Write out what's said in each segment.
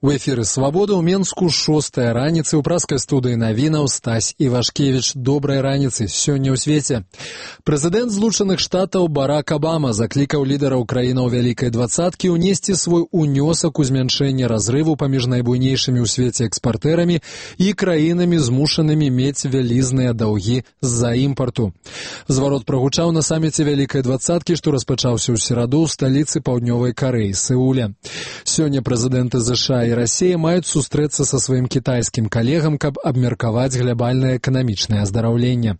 У эфіры «Свабода» ў Менску 6-я раніцы ў праскай студыі навінаў Стась Івашкевіч. Добрай раніцы сёння ў свеце. Прэзідэнт Злучаных Штатаў Барак Абама заклікаў лідараў краінаў Вялікай двадцаткі ўнесці свой унёсак у змяншэнне разрыву паміж найбуйнейшымі ў свеце экспартэрамі і краінамі, змушанымі мець вялізныя даўгі з-за імпарту. Зварот прагучаў на саміце Вялікай двадцаткі, што распачаўся ў сераду ў сталіцы Паўднёвай Карэі, Сеуле. Сёння прэзідэнты США і Расія маюць сустрэцца са сваім кітайскім калегам, каб абмеркаваць глобальнае эканамічнае аздараўленне.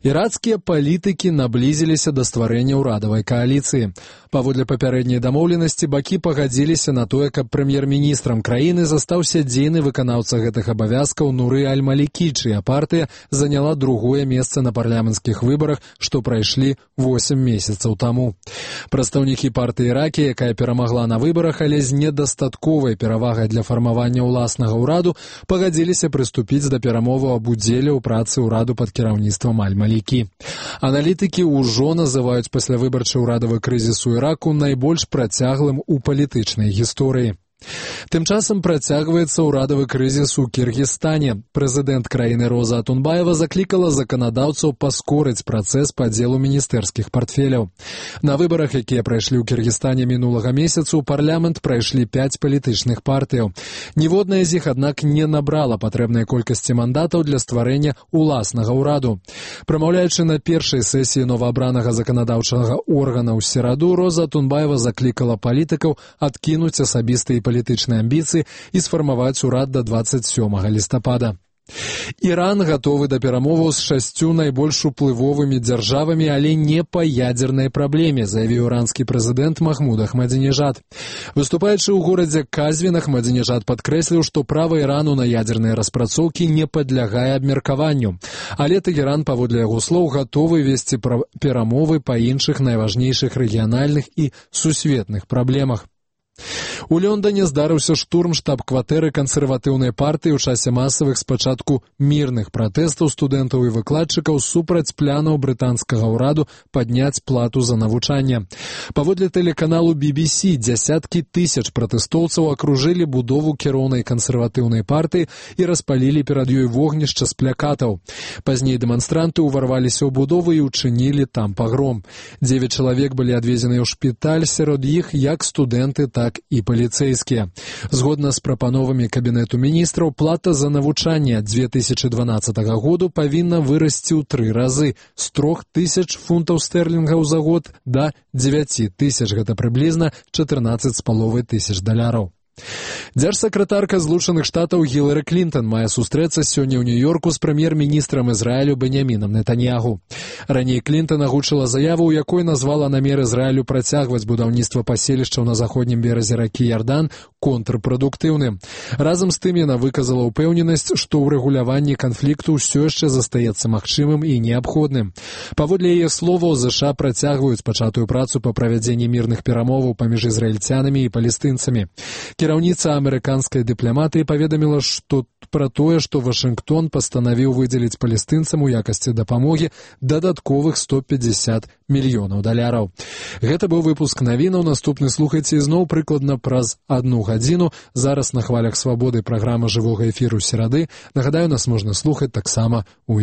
Ірацкія палітыкі наблізіліся да стварэння ўрадавай кааліцыі. Паводле папярэдняй дамоўленасці бакі пагадзіліся на тое, каб прэм'ер-міністрам краіны застаўся дзейны выканаўца гэтых абавязкаў Нуры аль-Малікі, чыя партыя заняла другое месца на парламенцкіх выбарах, што прайшлі 8 месяцаў таму. Прадстаўнікі партыі Иракі, якая перамагла на выбарах, але з недастатковай перавагай для фармавання ўласнага ўраду, пагадзіліся прыступіць да перамоваў аб удзеле ў працы ўраду пад кіраўніцтвам аль-Малікі. Аналітыкі ўжо называюць паслявыбарчы ўрадавы крызіс у Іраку найбольш працяглым у палітычнай гісторыі. Тым часам працягваецца ўрадавы крызіс у Кіргізстане. Прэзідэнт краіны Роза Атунбаева заклікала заканадаўцаў паскорыць працэс падзелу міністэрскіх партфеляў. На выбарах, якія прайшлі ў Кіргізстане мінулага месяцу, у парламент прайшлі 5 палітычных партыяў. Ніводная з іх, аднак, не набрала патрэбнай колькасці мандатаў для стварэння ўласнага ўраду. Прамаўляючы на першай сесіі новаабранага заканадаўчага органа ў сераду, Роза Атунбаева заклікала палітыкаў адкінуць асабістыя і палітычныя амбіцыі і сфармаваць урад да 27 лістапада. Іран гатовы да перамоваў з 6 найбольш уплывовымі дзяржавамі, але не па ядзернай праблеме, заявіў іранскі прэзідэнт Махмуд Ахмадзінежад. Выступаючы ў горадзе Казвін, Ахмадзінежад падкрэсліў, што права Ірану на ядзерныя распрацоўкі не падлягае абмеркаванню. Але Тэгеран, паводле яго слоў, гатовы весці перамовы па іншых найважнейшых рэгіянальных і сусветных праблемах. У Лондоне здарыўся штурм штаб-кватэры кансерватыўнай партыі ў часе масавых спачатку мірных пратэстаў студэнтаў і выкладчыкаў супраць планаў брытанскага ўраду падняць плату за навучанне. Паводле тэлеканалу BBC, дзясяткі тысяч пратэстоўцаў акружылі будову кіроўнай кансерватыўнай партыі і распалілі перад ёй вогнішча з плякатаў. Пазней дэманстранты ўварваліся ў будову і ўчынілі там пагром. 9 чалавек былі адвезеныя ў шпіталь, сярод іх як студэнты, так і паліцэйскія. Згодна з прапановамі Кабінету міністраў, плата за навучанне ад 2012 году павінна вырасці ў 3 разы з 3000 фунтаў стэрлінгаў за год да 9000, гэта прыблізна 14,5 тысяч даляраў. Дзяржсакратарка Злучаных Штатаў Гілары Клінтон мае сустрэцца сёння ў Нью-Йорку з прэм'ер-міністрам Ізраілю Беньямінам Нетаньягу. Раней Клінтон агучыла заяву, у якой назвала намер Ізраілю працягваць будаўніцтва паселішчаў на заходнім беразе ракі Ярдан контрпрадуктыўным. Разам з тым яна выказала ўпэўненасць, што ўрэгуляванне канфлікту ўсё яшчэ застаецца магчымым і неабходным. Паводле яе словаў, ЗША працягваюць пачатую працу па правядзенні мірных перамоваў паміж ізраільцянамі і палестынцамі. Кіраўніца амерыканскай дыпламатыі паведаміла, што пра тое, што Вашынгтон пастанавіў выдзеліць палестынцам у якасці дапамогі дадатковых 150 мільёнаў даляраў. Гэта быў выпуск навінаў. Наступны слухайце ізноў прыкладна праз 1 гадзіну. Зараз на хвалях Свабоды праграма жывога эфіру серады. Нагадаю, нас можна слухаць таксама у